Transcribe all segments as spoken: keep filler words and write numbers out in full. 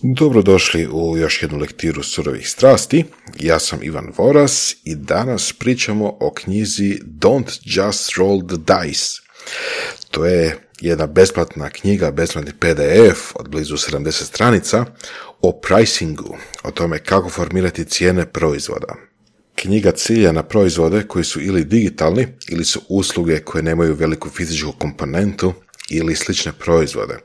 Dobrodošli u još jednu lektiru surovih strasti. Ja sam Ivan Voras i danas pričamo o knjizi Don't Just Roll the Dice. To je jedna besplatna knjiga, besplatni P D F od blizu sedamdeset stranica o pricingu, o tome kako formirati cijene proizvoda. Knjiga cilja na proizvode koji su ili digitalni ili su usluge koje nemaju veliku fizičku komponentu ili slične proizvode,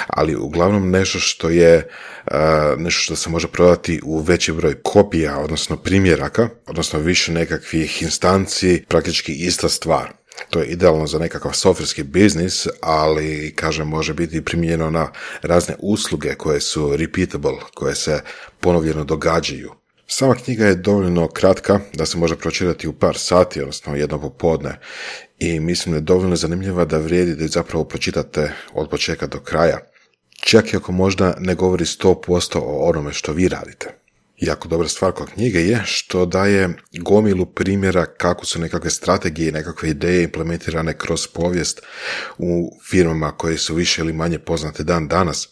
ali uglavnom nešto što je uh, nešto što se može prodati u veći broj kopija, odnosno primjeraka, odnosno više nekakvih instanci, praktički ista stvar. To je idealno za nekakav softverski biznis, ali, kažem, može biti primijenjeno na razne usluge koje su repeatable, koje se ponovljeno događaju. Sama knjiga je dovoljno kratka da se može pročitati u par sati, odnosno jedno popodne, i mislim da je dovoljno zanimljiva da vrijedi da je zapravo pročitate od početka do kraja, čak i ako možda ne govori sto posto o onome što vi radite. Jako dobra stvar kod knjige je što daje gomilu primjera kako su nekakve strategije i nekakve ideje implementirane kroz povijest u firmama koje su više ili manje poznate dan danas,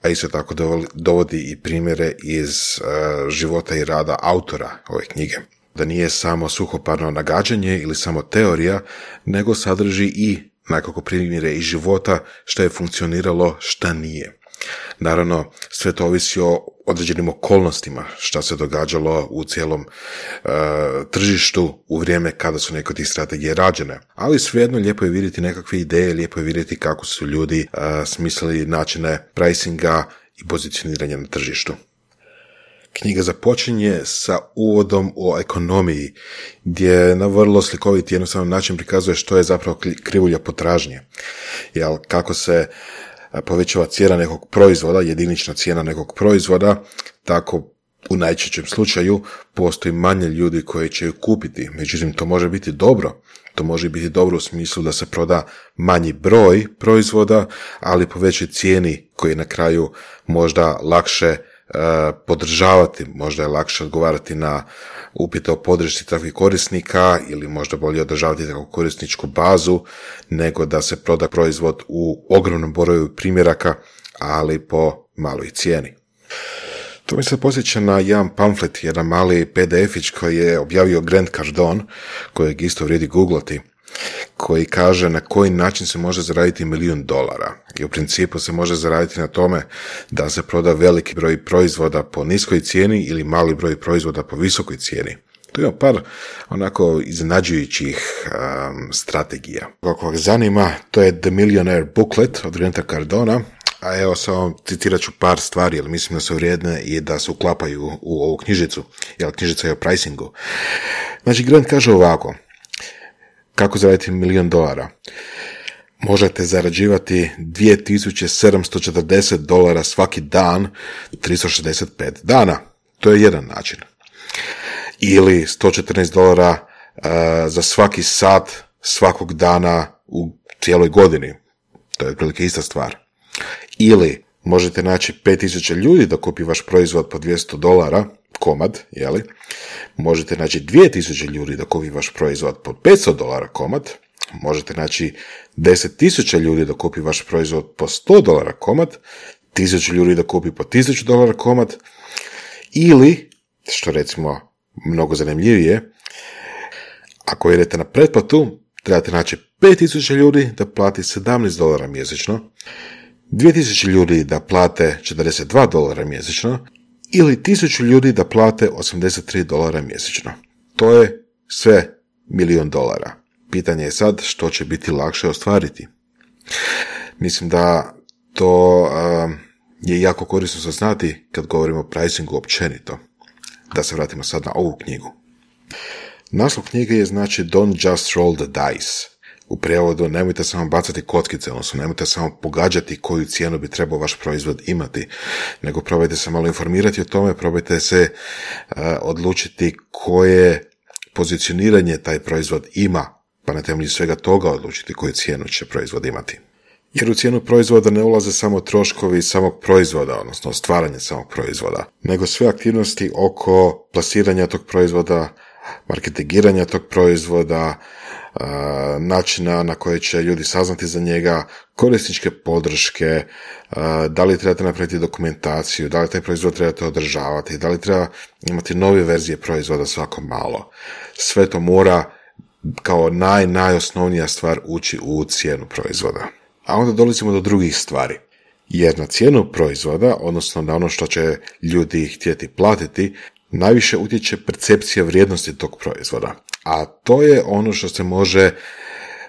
a isto tako dovodi i primjere iz uh, života i rada autora ove knjige. Da nije samo suhoparno nagađanje ili samo teorija, nego sadrži i nekako primjere iz života što je funkcioniralo, šta nije. Naravno, sve to ovisi o određenim okolnostima šta se događalo u cijelom uh, tržištu u vrijeme kada su neke od tih strategije rađene. Ali svejedno lijepo je vidjeti nekakve ideje, lijepo je vidjeti kako su ljudi uh, smislili načine pricinga i pozicioniranja na tržištu. Knjiga započinje sa uvodom o ekonomiji, gdje na vrlo slikovit i jednostavan način prikazuje što je zapravo krivulja potražnje. Jel, kako se povećava cijena nekog proizvoda, jedinična cijena nekog proizvoda, tako u najčešćem slučaju postoji manje ljudi koji će ju kupiti. Međutim, to može biti dobro. To može biti dobro u smislu da se proda manji broj proizvoda, ali po većoj cijeni koji je na kraju možda lakše podržavati, možda je lakše odgovarati na upite o podršci takvih korisnika ili možda bolje održavati takvu korisničku bazu nego da se proda proizvod u ogromnom broju primjeraka, ali po maloj cijeni. To mi se posjeća na jedan pamflet, jedan mali P D F-ić koji je objavio Grant Cardone, kojeg isto vrijedi googlati, koji kaže na koji način se može zaraditi milijun dolara. I u principu se može zaraditi na tome da se proda veliki broj proizvoda po niskoj cijeni ili mali broj proizvoda po visokoj cijeni. Tu ima par onako iznenađujućih um, strategija. Ako vas zanima, to je The Millionaire Booklet od Granta Cardona, a evo samo citirat ću par stvari, jer mislim da su vrijedne i da se uklapaju u ovu knjižicu, jer knjižica je o pricingu. Znači, Grant kaže ovako: kako zaraditi milijun dolara? Možete zarađivati dvije tisuće sedamsto četrdeset dolara svaki dan, tristo šezdeset pet dana. To je jedan način. Ili sto četrnaest dolara uh, za svaki sat svakog dana u cijeloj godini. To je otprilike ista stvar. Ili možete naći pet tisuća ljudi da kupi vaš proizvod po dvjesto dolara komad, jeli? Možete naći dvije tisuće ljudi da kupi vaš proizvod po petsto dolara komad. Možete naći deset tisuća ljudi da kupi vaš proizvod po sto dolara komad. tisuću ljudi da kupi po tisuću dolara komad. Ili, što recimo mnogo zanimljivije, ako idete na pretplatu, trebate naći pet tisuća ljudi da plati sedamnaest dolara mjesečno, dvije tisuće ljudi da plate četrdeset dva dolara mjesečno ili tisuću ljudi da plate osamdeset tri dolara mjesečno. To je sve milijun dolara. Pitanje je sad što će biti lakše ostvariti. Mislim da to uh, je jako korisno saznati kad govorimo o pricingu općenito. Da se vratimo sad na ovu knjigu. Naslov knjige je znači Don't Just Roll the Dice. U prijevodu, nemojte samo bacati kockice, odnosno nemojte samo pogađati koju cijenu bi trebao vaš proizvod imati, nego probajte se malo informirati o tome, probajte se uh, odlučiti koje pozicioniranje taj proizvod ima, pa na temelju svega toga odlučiti koju cijenu će proizvod imati. Jer u cijenu proizvoda ne ulaze samo troškovi samog proizvoda, odnosno stvaranje samog proizvoda, nego sve aktivnosti oko plasiranja tog proizvoda, marketingiranja tog proizvoda, načina na koje će ljudi saznati za njega, korisničke podrške, da li trebate napraviti dokumentaciju, da li taj proizvod trebate održavati, da li treba imati nove verzije proizvoda svako malo. Sve to mora kao naj, najosnovnija stvar ući u cijenu proizvoda. A onda dolazimo do drugih stvari. Jer na cijenu proizvoda, odnosno na ono što će ljudi htjeti platiti, najviše utječe percepcija vrijednosti tog proizvoda. A to je ono što se može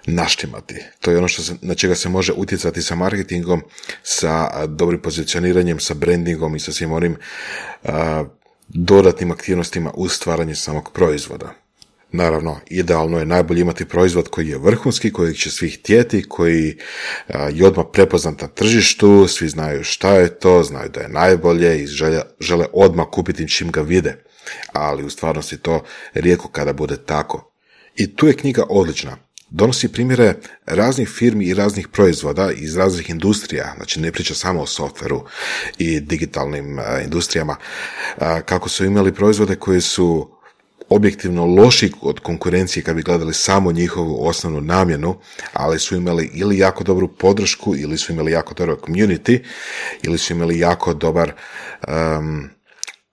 naštimati. To je ono što se, na čega se može utjecati sa marketingom, sa dobrim pozicioniranjem, sa brandingom i sa svim onim a, dodatnim aktivnostima u stvaranju samog proizvoda. Naravno, idealno je najbolje imati proizvod koji je vrhunski, kojeg će svi htjeti, koji a, je odmah prepoznat na tržištu, svi znaju šta je to, znaju da je najbolje i žele, žele odmah kupiti čim ga vide. Ali u stvarnosti to rijetko kada bude tako. I tu je knjiga odlična. Donosi primjere raznih firmi i raznih proizvoda iz raznih industrija, znači ne priča samo o softveru i digitalnim a, industrijama, a, kako su imali proizvode koji su objektivno loši od konkurencije kad bi gledali samo njihovu osnovnu namjenu, ali su imali ili jako dobru podršku, ili su imali jako dobar community, ili su imali jako dobar um,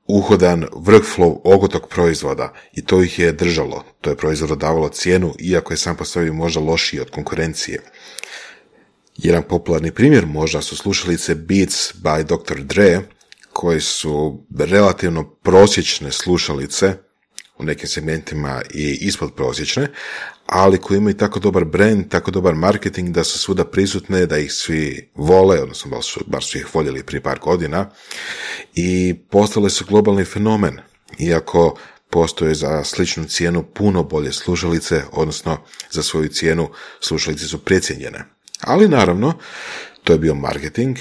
uhodan workflow oko tog proizvoda i to ih je držalo. To je proizvodu davalo cijenu, iako je sam po sebi možda lošiji od konkurencije. Jedan popularni primjer možda su slušalice Beats by doktor Dre, koji su relativno prosječne slušalice, u nekim segmentima i ispod prosječne, ali koji imaju tako dobar brand, tako dobar marketing da su svuda prisutne, da ih svi vole, odnosno bar su, bar su ih voljeli prije par godina i postale su globalni fenomen, iako postoje za sličnu cijenu puno bolje slušalice, odnosno za svoju cijenu slušalice su precijenjene. Ali naravno, to je bio marketing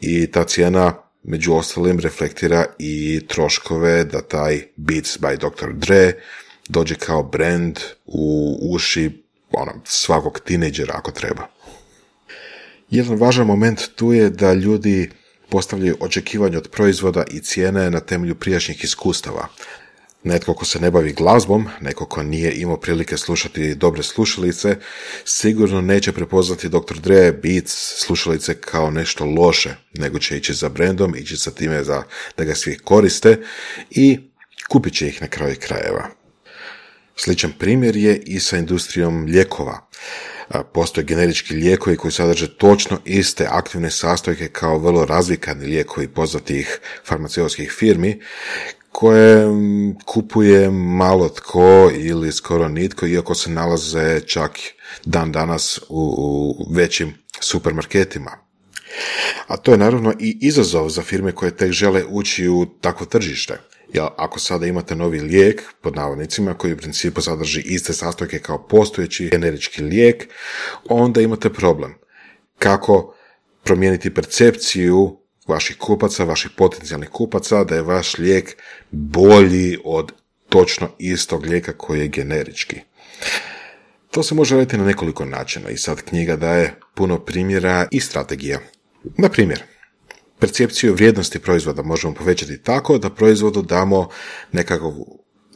i ta cijena među ostalim reflektira i troškove da taj Beats by doktor Dre dođe kao brand u uši ono, svakog tinejdžera ako treba. Jedan važan moment tu je da ljudi postavljaju očekivanja od proizvoda i cijene na temelju prijašnjih iskustava. Netko ko se ne bavi glazbom, neko ko nije imao prilike slušati dobre slušalice, sigurno neće prepoznati doktor Dre Beats slušalice kao nešto loše, nego će ići za brandom, ići sa time za, da ga svi koriste i kupit će ih na kraju krajeva. Sličan primjer je i sa industrijom lijekova. Postoje generički lijekovi koji sadrže točno iste aktivne sastojke kao vrlo razvikani lijekovi poznatih farmaceutskih firmi, koje kupuje malo tko ili skoro nitko, iako se nalaze čak dan danas u, u većim supermarketima. A to je naravno i izazov za firme koje tek žele ući u takvo tržište. Jer ako sada imate novi lijek, pod navodnicima, koji u principu sadrži iste sastojke kao postojeći generički lijek, onda imate problem. Kako promijeniti percepciju vaših kupaca, vaših potencijalnih kupaca, da je vaš lijek bolji od točno istog lijeka koji je generički. To se može raditi na nekoliko načina i sad knjiga daje puno primjera i strategija. Na primjer, percepciju vrijednosti proizvoda možemo povećati tako da proizvodu damo nekakav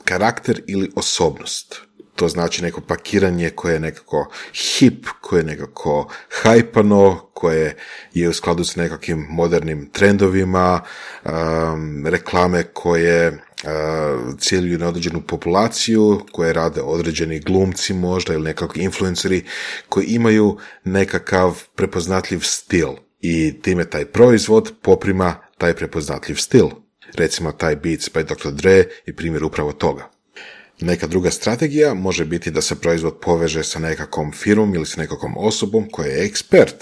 karakter ili osobnost. To znači neko pakiranje koje je nekako hip, koje je nekako hajpano, koje je u skladu s nekakvim modernim trendovima, um, reklame koje uh, ciljuju na određenu populaciju, koje rade određeni glumci možda ili nekakvi influenceri koji imaju nekakav prepoznatljiv stil i time taj proizvod poprima taj prepoznatljiv stil. Recimo taj Beats by doktor Dre je primjer upravo toga. Neka druga strategija može biti da se proizvod poveže sa nekakvom firmom ili sa nekakvom osobom koja je ekspert.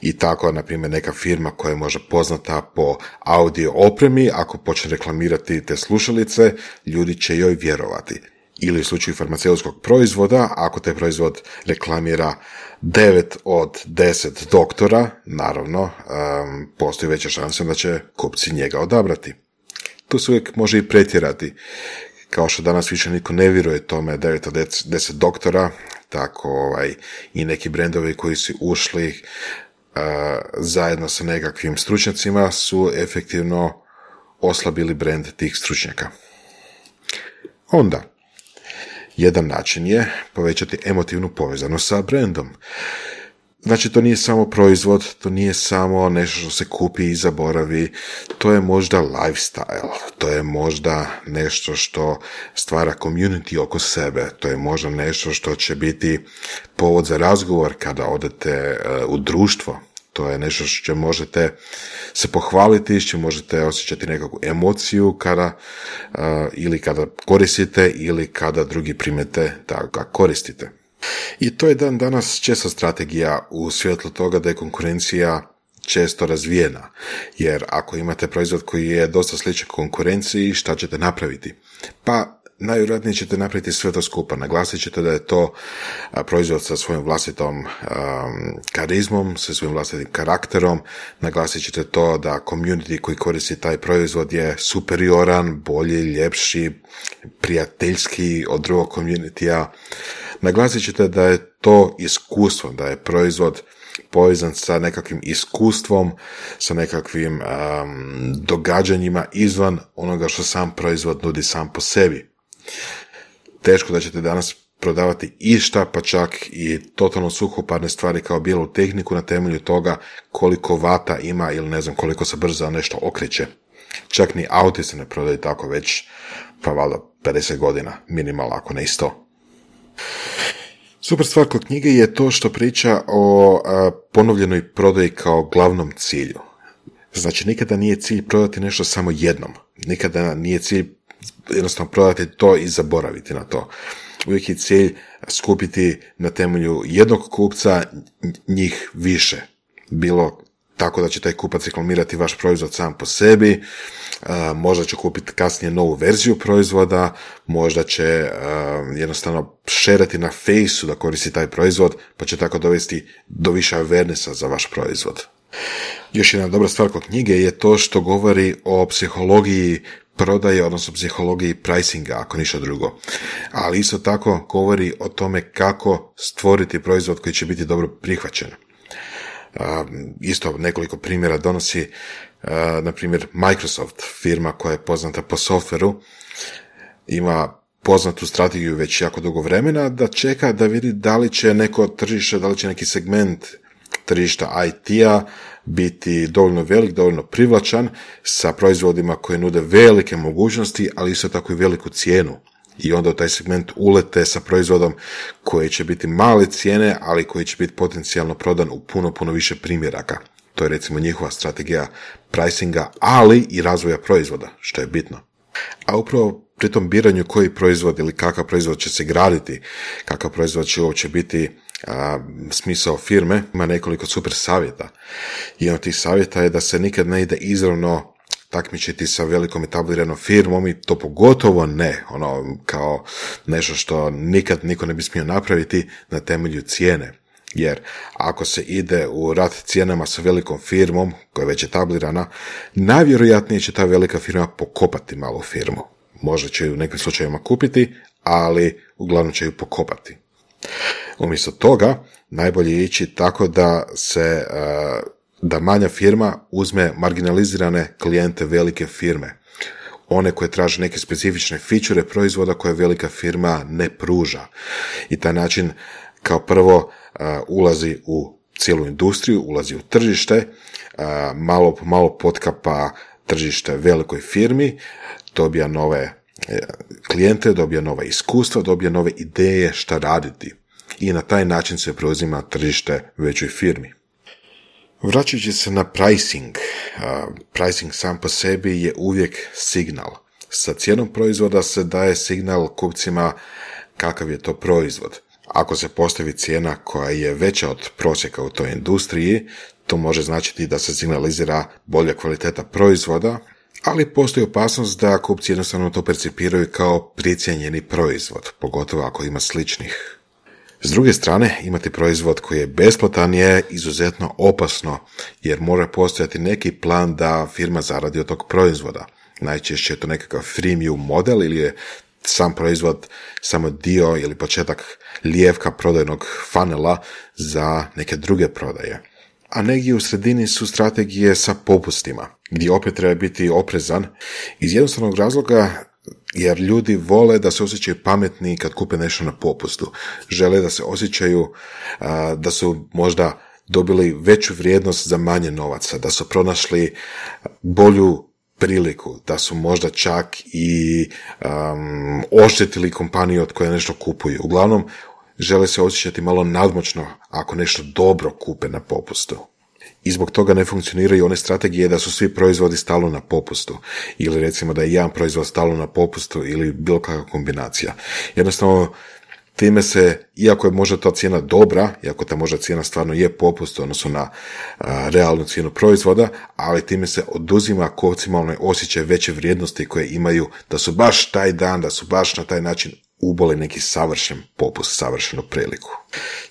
I tako, na primjer, neka firma koja je možda poznata po audio opremi, ako počne reklamirati te slušalice, ljudi će joj vjerovati. Ili u slučaju farmaceutskog proizvoda, ako taj proizvod reklamira devet od deset doktora, naravno, um, postoji veća šansa da će kupci njega odabrati. Tu se uvijek može i pretjerati. Kao što danas više niko ne vjeruje tome devet od deset doktora, tako ovaj, i neki brendovi koji su ušli uh, zajedno sa nekakvim stručnjacima su efektivno oslabili brend tih stručnjaka. Onda, Jedan način je povećati emotivnu povezanost sa brendom. Znači, to nije samo proizvod, to nije samo nešto što se kupi i zaboravi, to je možda lifestyle, to je možda nešto što stvara community oko sebe, to je možda nešto što će biti povod za razgovor kada odete u društvo, to je nešto što možete se pohvaliti, što možete osjećati nekakvu emociju kada, uh, ili kada koristite ili kada drugi primete da ga koristite. I to je dan danas često strategija u svjetlu toga da je konkurencija često razvijena, jer ako imate proizvod koji je dosta sličan konkurenciji, šta ćete napraviti? Pa najvjerojatnije ćete napraviti sve to skupa. Naglasit ćete da je to proizvod sa svojim vlastitom um, karizmom, sa svojim vlastitim karakterom. Naglasit ćete to da community koji koristi taj proizvod je superioran, bolji, ljepši, prijateljski od drugog communitya. Naglasit ćete da je to iskustvo, da je proizvod povezan sa nekakvim iskustvom, sa nekakvim um, događanjima izvan onoga što sam proizvod nudi sam po sebi. Teško da ćete danas prodavati išta, pa čak i totalno suhoparne stvari kao bijelu tehniku na temelju toga koliko vata ima ili ne znam koliko se brzo nešto okreće. Čak ni auti se ne prodaju tako već, pa valjda pedeset godina, minimalno ako ne i sto. Super stvar kod knjige je to što priča o a, ponovljenoj prodaji kao glavnom cilju. Znači, nikada nije cilj prodati nešto samo jednom. Nikada nije cilj jednostavno prodati to i zaboraviti na to. Uvijek je cilj skupiti na temelju jednog kupca njih više. Bilo tako da će taj kupac reklamirati vaš proizvod sam po sebi, možda će kupiti kasnije novu verziju proizvoda, možda će jednostavno šerati na Faceu da koristi taj proizvod, pa će tako dovesti do više awarenessa za vaš proizvod. Još jedna dobra stvar kod knjige je to što govori o psihologiji prodaje, odnosno psihologiji pricinga, ako ništa drugo. Ali isto tako govori o tome kako stvoriti proizvod koji će biti dobro prihvaćen. Uh, isto nekoliko primjera donosi, uh, na primjer Microsoft, firma koja je poznata po softveru, ima poznatu strategiju već jako dugo vremena da čeka da vidi da li će neko tržište, da li će neki segment tržišta I T-a biti dovoljno velik, dovoljno privlačan sa proizvodima koje nude velike mogućnosti, ali isto tako i veliku cijenu. I onda u taj segment ulete sa proizvodom koji će biti male cijene, ali koji će biti potencijalno prodan u puno, puno više primjeraka. To je recimo njihova strategija pricinga, ali i razvoja proizvoda, što je bitno. A upravo pri tom biranju koji proizvod ili kakav proizvod će se graditi, kakav proizvod će uopće biti a, smisao firme, ima nekoliko super savjeta. Jedan od tih savjeta je da se nikad ne ide izravno takmičiti sa velikom etabliranom firmom i to pogotovo ne, ono kao nešto što nikad niko ne bi smio napraviti na temelju cijene. Jer ako se ide u rat cijenama sa velikom firmom koja je već etablirana, najvjerojatnije će ta velika firma pokopati malu firmu. Možda će ju u nekim slučajevima kupiti, ali uglavnom će ju pokopati. Umjesto toga, najbolje je ići tako da se da manja firma uzme marginalizirane klijente velike firme. One koje traže neke specifične fičure proizvoda koje velika firma ne pruža. I taj način kao prvo uh, ulazi u cijelu industriju, ulazi u tržište, uh, malo po malo potkapa tržište velikoj firmi, dobija nove uh, klijente, dobija nova iskustva, dobija nove ideje šta raditi. I na taj način se preuzima tržište većoj firmi. Vraćajući se na pricing, uh, pricing sam po sebi je uvijek signal. Sa cijenom proizvoda se daje signal kupcima kakav je to proizvod. Ako se postavi cijena koja je veća od prosjeka u toj industriji, to može značiti da se signalizira bolja kvaliteta proizvoda, ali postoji opasnost da kupci jednostavno to percipiraju kao precijenjeni proizvod, pogotovo ako ima sličnih. S druge strane, imati proizvod koji je besplatan je izuzetno opasno, jer mora postojati neki plan da firma zaradi od tog proizvoda. Najčešće je to nekakav freemium model ili je sam proizvod samo dio ili početak lijevka prodajnog funnela za neke druge prodaje. A negdje u sredini su strategije sa popustima, gdje opet treba biti oprezan iz jednostavnog razloga jer ljudi vole da se osjećaju pametni kad kupe nešto na popustu. Žele da se osjećaju a, da su možda dobili veću vrijednost za manje novaca, da su pronašli bolju priliku, da su možda čak i um, oštetili kompaniju od koje nešto kupuju. Uglavnom, žele se osjećati malo nadmoćno ako nešto dobro kupe na popustu. I zbog toga ne funkcioniraju one strategije da su svi proizvodi stalno na popustu, ili recimo da je jedan proizvod stalno na popustu ili bilo kakva kombinacija. Jednostavno, time se, iako je možda ta cijena dobra, iako ta možda cijena stvarno je popust, odnosno na a, realnu cijenu proizvoda, ali time se oduzima optimalno osjećaj veće vrijednosti koje imaju da su baš taj dan, da su baš na taj način uboli neki savršen popust, savršenu priliku.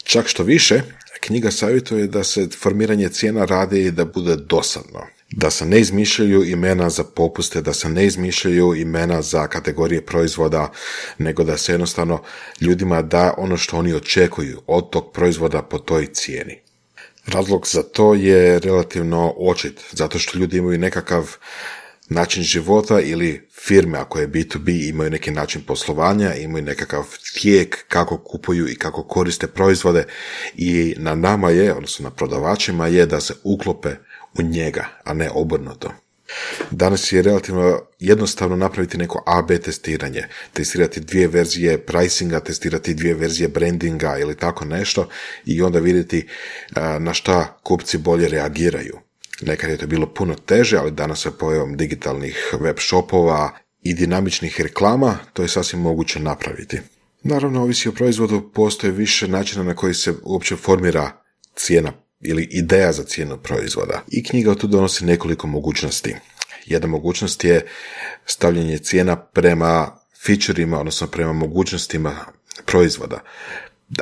Čak što više, knjiga savjetuje da se formiranje cijena radi da bude dosadno. Da se ne izmišljaju imena za popuste, da se ne izmišljaju imena za kategorije proizvoda, nego da se jednostavno ljudima da ono što oni očekuju od tog proizvoda po toj cijeni. Razlog za to je relativno očit, zato što ljudi imaju nekakav način života ili firme, ako je bi to bi, imaju neki način poslovanja, imaju nekakav tijek kako kupuju i kako koriste proizvode i na nama je, odnosno na prodavačima je da se uklope u njega, a ne obrnuto. Danas je relativno jednostavno napraviti neko A B testiranje, testirati dvije verzije pricinga, testirati dvije verzije brandinga ili tako nešto i onda vidjeti na šta kupci bolje reagiraju. Nekad je to bilo puno teže, ali danas sa pojavom digitalnih web shopova i dinamičnih reklama to je sasvim moguće napraviti. Naravno, ovisi o proizvodu, postoje više načina na koji se uopće formira cijena ili ideja za cijenu proizvoda. I knjiga tu donosi nekoliko mogućnosti. Jedna mogućnost je stavljanje cijena prema featureima, odnosno prema mogućnostima proizvoda.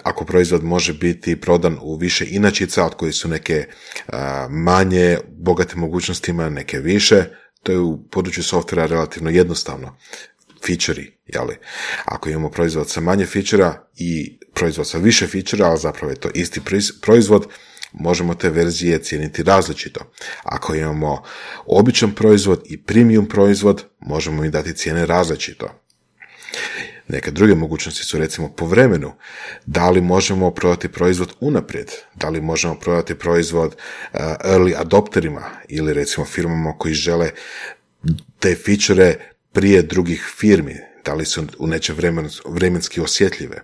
Ako proizvod može biti prodan u više inačica, od koji su neke a, manje bogate mogućnostima, neke više, to je u području softvera relativno jednostavno. Feature-i, jeli? Ako imamo proizvod sa manje feature-a i proizvod sa više feature-a, ali zapravo je to isti proizvod, možemo te verzije cijeniti različito. Ako imamo običan proizvod i premium proizvod, možemo im dati cijene različito. Neke druge mogućnosti su recimo po vremenu. Da li možemo prodati proizvod unaprijed? Da li možemo prodati proizvod uh, early adopterima ili recimo firmama koji žele te feature prije drugih firmi? Da li su u nečem vremen, vremenski osjetljive?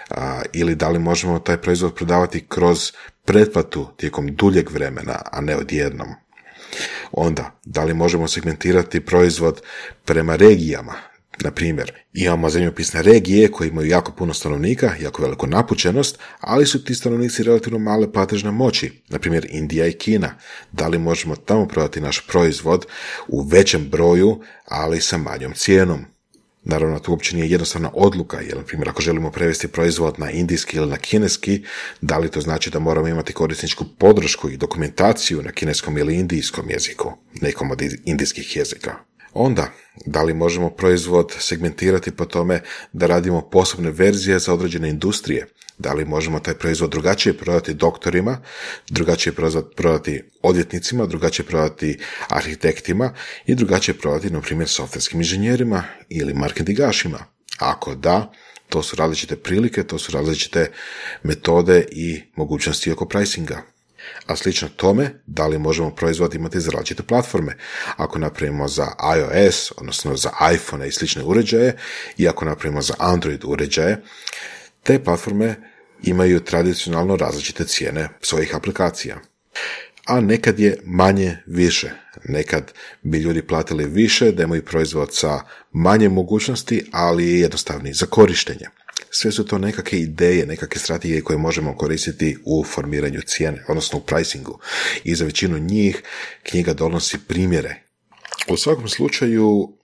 Uh, ili da li možemo taj proizvod prodavati kroz pretplatu tijekom duljeg vremena, a ne odjednom? Onda, da li možemo segmentirati proizvod prema regijama? Na primjer, imamo zemljopisne regije koje imaju jako puno stanovnika, jako veliku napučenost, ali su ti stanovnici relativno male platežne moći, na primjer Indija i Kina. Da li možemo tamo prodati naš proizvod u većem broju, ali sa manjom cijenom? Naravno, to uopće nije jednostavna odluka, jer, na primjer, ako želimo prevesti proizvod na indijski ili na kineski, da li to znači da moramo imati korisničku podršku i dokumentaciju na kineskom ili indijskom jeziku, nekom od indijskih jezika? Onda, da li možemo proizvod segmentirati po tome da radimo posebne verzije za određene industrije? Da li možemo taj proizvod drugačije prodati doktorima, drugačije prodati odvjetnicima, drugačije prodati arhitektima i drugačije prodati, na primjer, softverskim inženjerima ili marketingašima? Ako da, to su različite prilike, to su različite metode i mogućnosti oko pricinga. A slično tome, da li možemo proizvod imati za različite platforme? Ako napravimo za iOS, odnosno za iPhone i slične uređaje, i ako napravimo za Android uređaje, te platforme imaju tradicionalno različite cijene svojih aplikacija. A nekad je manje više. Nekad bi ljudi platili više da imaju proizvod sa manje mogućnosti, ali je jednostavniji za korištenje. Sve su to nekakve ideje, nekakve strategije koje možemo koristiti u formiranju cijene, odnosno u pricingu. I za većinu njih knjiga donosi primjere. U svakom slučaju,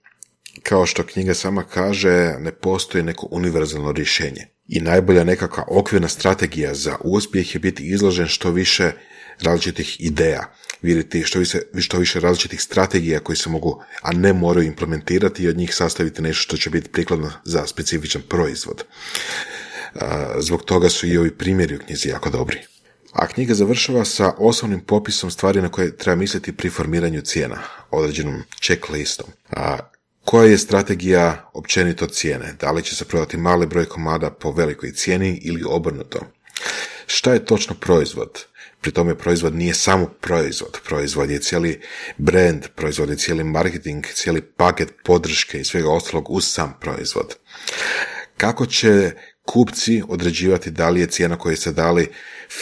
kao što knjiga sama kaže, ne postoji neko univerzalno rješenje. I najbolja nekakva okvirna strategija za uspjeh je biti izložen što više različitih ideja, vidjeti što više, što više različitih strategija koji se mogu, a ne moraju implementirati i od njih sastaviti nešto što će biti prikladno za specifičan proizvod. Zbog toga su i ovi primjeri u knjizi jako dobri. A knjiga završava sa osnovnim popisom stvari na koje treba misliti pri formiranju cijena, određenom checklistom. Koja je strategija općenito cijene? Da li će se prodati mali broj komada po velikoj cijeni ili obrnuto? Šta je točno proizvod? Pri tome proizvod nije samo proizvod. Proizvod je cijeli brand, proizvod je cijeli marketing, cijeli paket podrške i svega ostalog uz sam proizvod. Kako će kupci određivati da li je cijena koju ste dali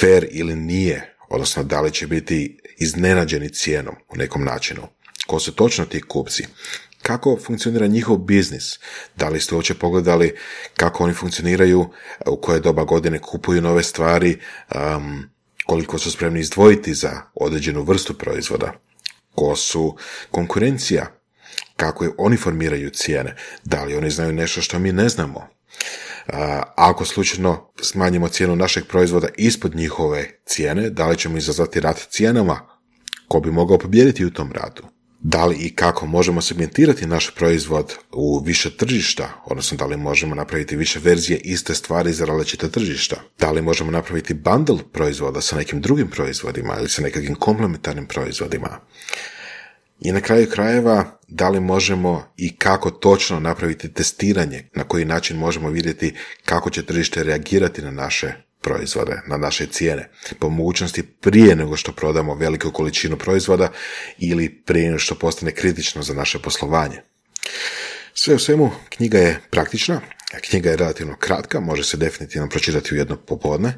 fair ili nije, odnosno da li će biti iznenađeni cijenom u nekom načinu? Ko su točno ti kupci? Kako funkcionira njihov biznis? Da li ste uopće pogledali kako oni funkcioniraju, u koje doba godine kupuju nove stvari, um, koliko su spremni izdvojiti za određenu vrstu proizvoda? Ko su konkurencija? Kako oni formiraju cijene? Da li oni znaju nešto što mi ne znamo? Ako slučajno smanjimo cijenu našeg proizvoda ispod njihove cijene, da li ćemo izazvati rat cijenama? Ko bi mogao pobijediti u tom ratu? Da li i kako možemo segmentirati naš proizvod u više tržišta, odnosno da li možemo napraviti više verzije iste stvari za različita tržišta? Da li možemo napraviti bundle proizvoda sa nekim drugim proizvodima ili sa nekakvim komplementarnim proizvodima? I na kraju krajeva, da li možemo i kako točno napraviti testiranje, na koji način možemo vidjeti kako će tržište reagirati na naše proizvode, na naše cijene, po mogućnosti prije nego što prodamo veliku količinu proizvoda ili prije nego što postane kritično za naše poslovanje. Sve u svemu, knjiga je praktična, knjiga je relativno kratka, može se definitivno pročitati u jedno popodne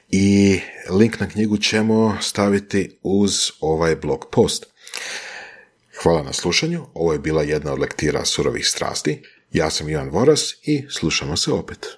i link na knjigu ćemo staviti uz ovaj blog post. Hvala na slušanju, ovo je bila jedna od lektira Surovih strasti. Ja sam Ivan Voras i slušamo se opet.